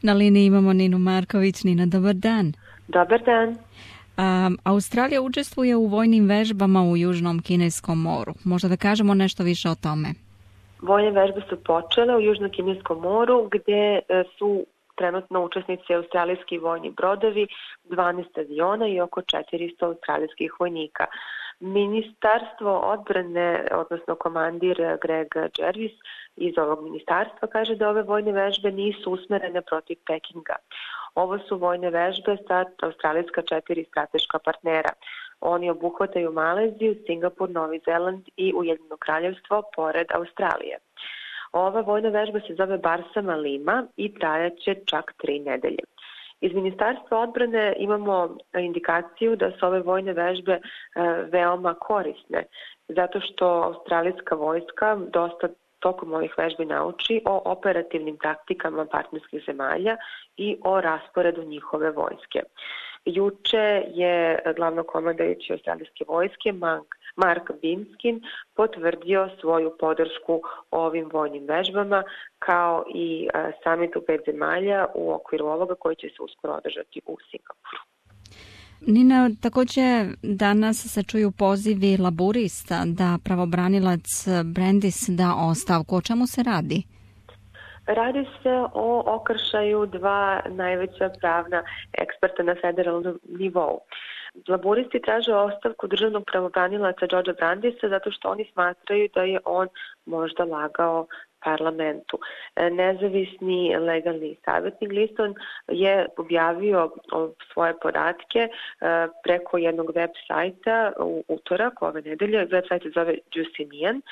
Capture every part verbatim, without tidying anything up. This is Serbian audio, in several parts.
Na liniji imamo Ninu Marković. Nina, dobar dan. Dobar dan. Um, Australija učestvuje u vojnim vežbama u Južnom Kineskom moru. Možda da kažemo nešto više o tome? Vojne vežbe su počele u Južnom Kineskom moru gdje su trenutno učesnici australijski vojni brodovi, dvanaest aviona i oko četiristo australijskih vojnika. Ministarstvo odbrane, odnosno komandir Greg Jervis iz ovog ministarstva kaže da ove vojne vežbe nisu usmerene protiv Pekinga. Ovo su vojne vežbe sa australijska četiri strateška partnera. Oni obuhvataju Maleziju, Singapur, Novi Zeland i Ujedinjeno Kraljevstvo pored Australije. Ova vojna vežba se zove Barsama Lima i trajaće čak tri nedelje. Iz Ministarstva odbrane imamo indikaciju da su ove vojne vežbe veoma korisne, zato što australijska vojska dosta tokom ovih vežbi nauči o operativnim taktikama partnerskih zemalja i o rasporedu njihove vojske. Juče je glavnokomandajući australijske vojske Mark Binskin potvrdio svoju podršku ovim vojnim vežbama kao i samitu pet zemalja u okviru ovoga koji će se uskoro održati u Singapuru. Nina, također danas se čuju pozivi laburista da pravobranilac Brandis da ostavku. O čemu se radi? Radi se o okršaju dva najveća pravna eksperta na federalnom nivou. Laburisti traže ostavku državnog pravobranilaca Georgea Brandisa zato što oni smatraju da je on možda lagao parlamentu. Nezavisni legalni savjetnik Gleeson je objavio svoje podatke preko jednog web sajta u utorak ove nedelje. Web sajt se zove Justinian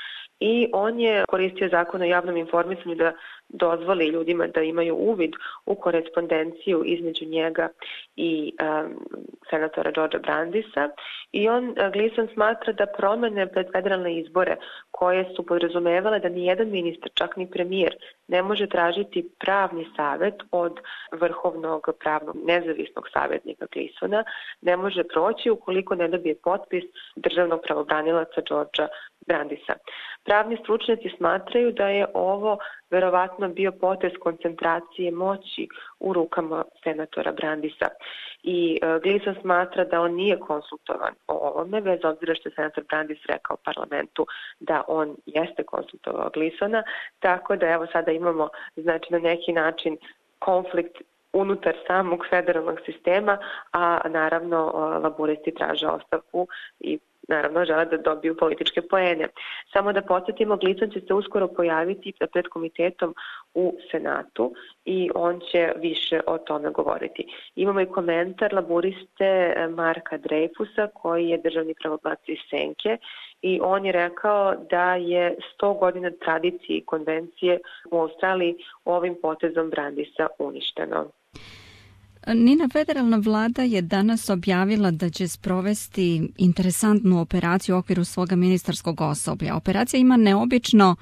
i on je koristio zakon o javnom informisanju da dozvoli ljudima da imaju uvid u korespondenciju između njega i um, senatora Georgea Brandisa i on, Gleeson, smatra da promene pred federalne izbore koje su podrazumevale da ni jedan ministar, čak ni premijer, ne može tražiti pravni savjet od vrhovnog pravnog nezavisnog savjetnika Gleesona, ne može proći ukoliko ne dobije potpis državnog pravobranilaca Georgea Brandisa. Pravni stručnjaci smatraju da je ovo verovatno bio potez koncentracije moći u rukama senatora Brandisa. I e, Gleeson smatra da on nije konsultovan o ovome, bez obzira što je senator Brandis rekao parlamentu da on jeste konsultovao Gleesona, tako da evo sada imamo znači na neki način konflikt unutar samog federalnog sistema, a naravno laburisti traže ostavku i naravno žele da dobiju političke poene. Samo da podsjetimo, Gleeson će se uskoro pojaviti pred komitetom u Senatu i on će više o tome govoriti. Imamo i komentar laburiste Marka Dreyfusa koji je državni pravobranilac iz Senke i on je rekao da je sto godina tradicije i konvencije u Australiji ovim potezom Brandisa uništeno. Nina, federalna vlada je danas objavila da će sprovesti interesantnu operaciju u okviru svoga ministarskog osoblja. Operacija ima neobično,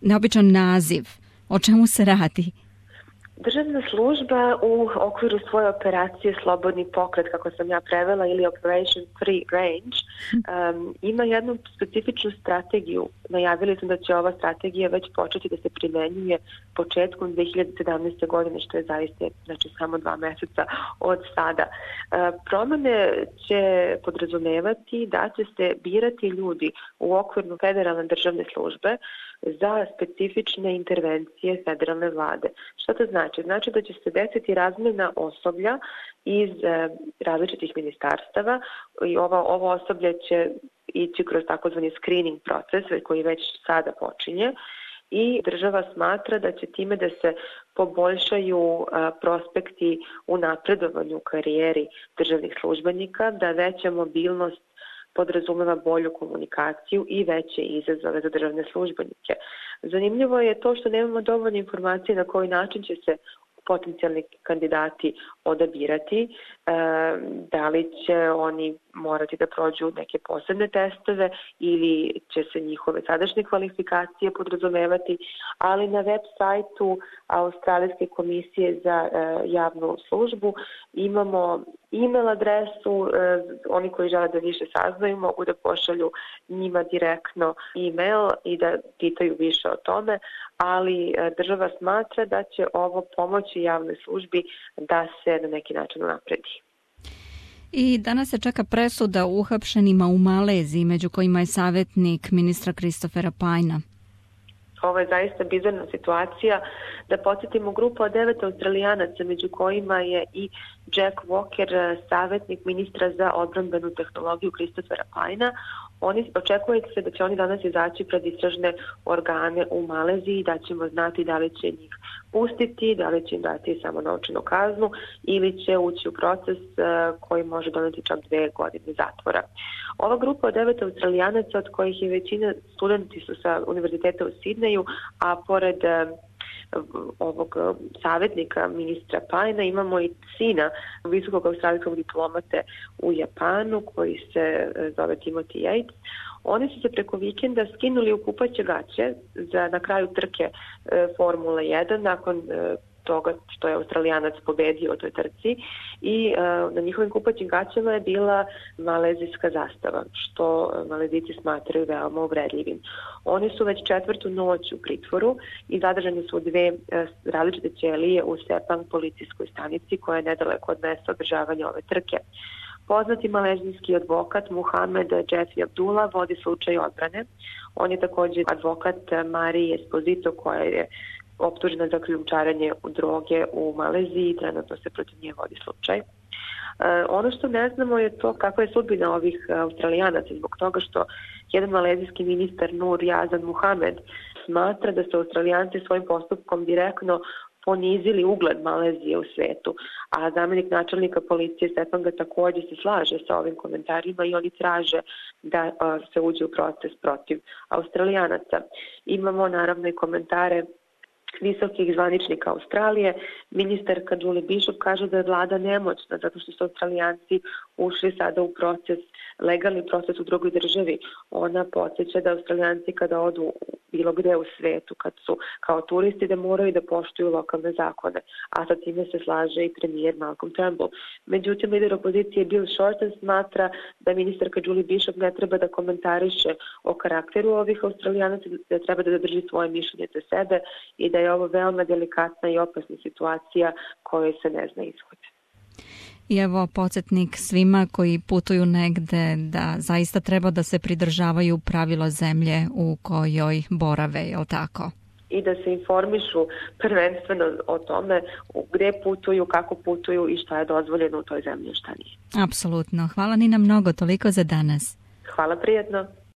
neobičan naziv. O čemu se radi? Državna služba u okviru svoje operacije Slobodni pokret, kako sam ja prevela, ili Operation Free Range, um, ima jednu specifičnu strategiju. Najavili smo da će ova strategija već početi da se primenjuje početkom dve hiljade sedamnaeste. godine, što je zaista znači, samo dva meseca od sada. Uh, promene će podrazumevati da će se birati ljudi u okviru federalne državne službe za specifične intervencije federalne vlade. Što to znači? Znači da će se desiti razmjena osoblja iz e, različitih ministarstava i ovo, ovo osoblje će ići kroz takozvani screening proces koji već sada počinje i država smatra da će time da se poboljšaju a, prospekti u napredovanju u karijeri državnih službenika, da veća mobilnost podrazumeva bolju komunikaciju i veće izazove za državne službenike. Zanimljivo je to što nemamo dovoljno informacije na koji način će se potencijalni kandidati odabirati. da li će oni morati da prođu neke posebne testove ili će se njihove sadašnje kvalifikacije podrazumevati, ali na web sajtu Australijske komisije za javnu službu imamo e-mail adresu, oni koji žele da više saznaju mogu da pošalju njima direktno e-mail i da pitaju više o tome, ali država smatra da će ovo pomoći javnoj službi da se na neki način napredi. I danas se čeka presuda uhapšenima u Maleziji, među kojima je savjetnik ministra Christophera Pyna. Ovo je zaista bizarna situacija. Da podsjetimo, grupa od devet Australijanaca, među kojima je i Jack Walker, savjetnik ministra za odbrambenu tehnologiju Christophera Pyna. Oni očekuje se da će oni danas izaći pred istražne organe u Maleziji, da ćemo znati da li će njih pustiti, da li će im dati samo novčanu kaznu ili će ući u proces koji može doneti čak dve godine zatvora. Ova grupa od devet Australijanaca, od kojih je većina studenti su sa univerziteta u Sidneju, a pored ovog savjetnika ministra Pyna imamo i sina visokog australijskog diplomate u Japanu koji se zove Timothy Yates. Oni su se preko vikenda skinuli u kupaće gaće za na kraju trke e, Formule jedan nakon e, toga što je Australijanac pobedio u toj trci i e, na njihovim kupaćim gaćama je bila malezijska zastava, što Malezijci smatraju veoma uvredljivim. Oni su već četvrtu noć u pritvoru i zadržani su u dve e, različite ćelije u Sepang policijskoj stanici koja je nedaleko od mesta održavanja ove trke. Poznati malezijski advokat Muhamed Jeffrey Abdullah vodi slučaj odbrane. On je također advokat Marije Esposito koja je optužena za krijumčarenje droge u Maleziji i trenutno se protiv nje vodi slučaj. E, ono što ne znamo je to kakva je sudbina ovih Australijanaca zbog toga što jedan malezijski ministar Nur Yazan Muhamed smatra da su Australijanci svojim postupkom direktno ponizili ugled Malezije u svetu, a zamjenik načelnika policije Sepanga također se slaže sa ovim komentarima i oni traže da se uđe u proces protiv Australijanaca. Imamo naravno i komentare visokih zvaničnika Australije. Ministarka Julie Bishop kaže da je vlada nemoćna zato što su Australijanci ušli sada u proces, legalni proces u drugoj državi. Ona podsjeća da Australijanci kada odu bilo gde u svetu, kad su kao turisti, da moraju da poštuju lokalne zakone, a sa time se slaže i premijer Malcolm Turnbull. Međutim, lider opozicije Bill Shorten smatra da ministarka Julie Bishop ne treba da komentariše o karakteru ovih Australijanaca, da treba da drži svoje mišljenje za sebe i da je ovo veoma delikatna i opasna situacija kojoj se ne zna ishod. I evo podsjetnik svima koji putuju negde da zaista treba da se pridržavaju pravila zemlje u kojoj borave, je li tako? I da se informišu prvenstveno o tome gde putuju, kako putuju i šta je dozvoljeno u toj zemlji, šta nije. Apsolutno. Hvala Nina mnogo, toliko za danas. Hvala, prijetno.